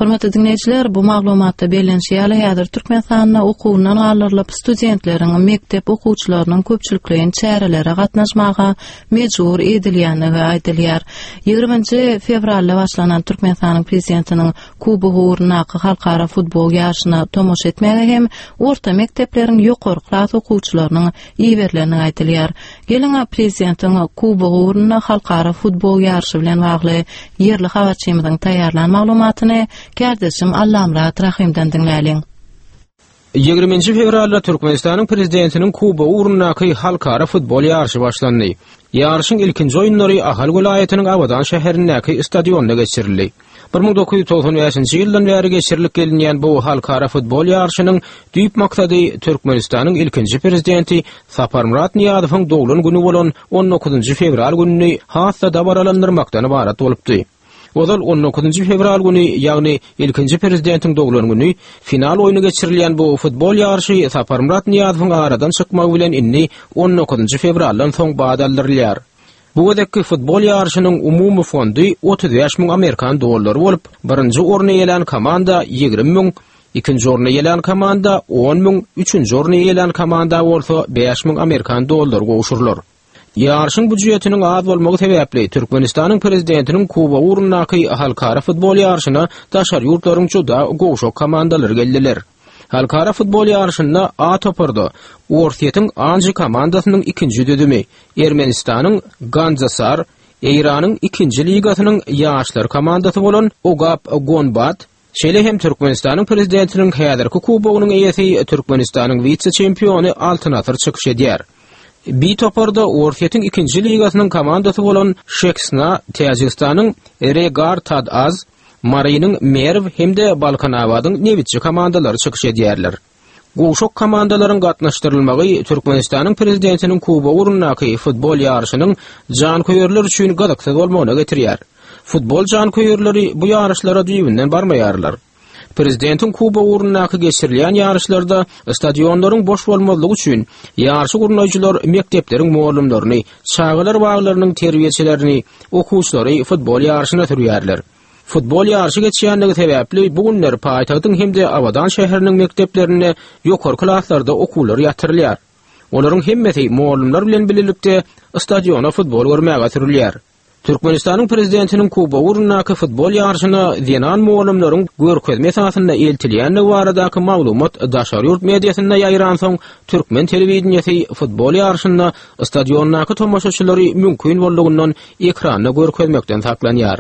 Hormatly diňleýjiler, bu maglumatda bellenişi ýaly, häzir Türkmenistanda okuwyndan galdyrylyp, studentleriň, mekdep okuwçylarynyň köpçülikleýin çärelere gatnaşmaga mejbur edilýändigi aýdylýar. Ýigriminji fewralda başlanan Türkmenistanyň Prezidentiniň Kubogy ugrundaky halkara futbol ýaryşyna tomaşa etmäge hem orta mekdepleriň ýokary klas okuwçylarynyň iberilendigi aýdylýar. Geliň, Prezidentiň Kubogy ugrunda halkara futbol ýaryşy bilen bagly ýerli habarçymyzyň taýýarlan maglumatyny kärdeşim Allamyrat Rahymdan diňläliň. Ýigriminji fewralda Türkmenistanyň Prezidentiniň Kubogy ugrundaky halkara futbol ýaryşy başlandy. Ýaryşyň ilkinji oýunlary Ahal welaýatynyň Abadan şäherindäki stadionda geçirildi. 1995-nji ýyldan bäri geçirilip gelinýän bu halkara futbol ýaryşynyň düýp maksady Türkmenistanyň ilkinji Prezidenti Saparmyrat Nyýazowyň doglan güni bolan on dokuzynjy fewral gününi has-da dabaralandyrmakdan ybarat bolupdy. Ozal on dokuzynjy fewral güni, ýagny ilkinji Prezidentiň doglan güni final oýny geçirilýän bu futbol ýaryşy Saparmyrat Nyýazowyň aradan çykmagy bilen indi on dokuzynjy fewraldan soň bat aldyrylýar. Bu gezekki futbol ýaryşynyň umumy fondy 35 müň amerikan dollary bolup, birinji orny eýelän komanda 20 müň, ikinji orny eýelän komanda 10 müň, üçünji orny eýelän komanda bolsa 5 müň amerikan dollary gowşurylar. Ýaryşyň býujetiniň az bolmagy sebäpli, Türkmenistanyň Prezidentiniň Kubogy ugrundaky halkara futbol ýaryşyna daşary ýurtlaryň juda gowşak komandalary geldiler. Halkara futbol ýaryşynda A toparda Orsýetiň Anži komandasynyň ikinji düzümi, Ermenistanyň Gandzasar, Eýranyň ikinji ligasynyň ýaşlar komandasy bolan Ogap Gonbad, şeýle hem Türkmenistanyň Prezidentiniň häzirki kubogynyň eýesi Türkmenistanyň wise-çempiony Altyn Asyr çykyş edýär. B toparda Orsýetiň ikinji ligasynyň komandasy bolan Şeksna, Täjigistanyň Regar Tad-Az, Marynyň Merw hem-de Balkanabadyň Nebitçi komandalary çykyş edýärler. Gowşak komandalaryň gatnaşdyrylmagy Türkmenistanyň Prezidentiniň Kubogy ugrundaky futbol ýaryşynyň janköýerler üçin gyzyksyz bolmagyna getirýär. Futbol janköýerleri bu ýaryşlara düýbünden barmaýarlar. Prezidentiň Kubogy ugrundaky geçirilýän ýaryşlarda stadionlaryň boş bolmazlygy üçin ýaryşy gurnaýjylar mekdepleriň mugallymlaryny, çagalar baglarynyň terbiýeçilerini, okuwçylary futbol ýaryşyna sürýärler. Futbol ýaryşy geçýänligi sebäpli bu günler paýtagtyň hem-de Abadan şäheriniň mekdeplerinde ýokary klaslarda okuwlar ýatyrylýar. Olaryň hemmesi mugallymlar bilen bilelikde stadiona futbol görmäge sürülýär. Türkmenistanyň Prezidentiniň Kubogy ugrundaky futbol ýaryşyna zenan mugallymlaryň görkezme esasynda eltilýändigi baradaky maglumat daşary ýurt mediasynda ýaýransoň, türkmen telewideniýesi futbol ýaryşynda stadiondaky tomaşaçylary mümkin boldugyndan ekranda görkezmekden saklanýar.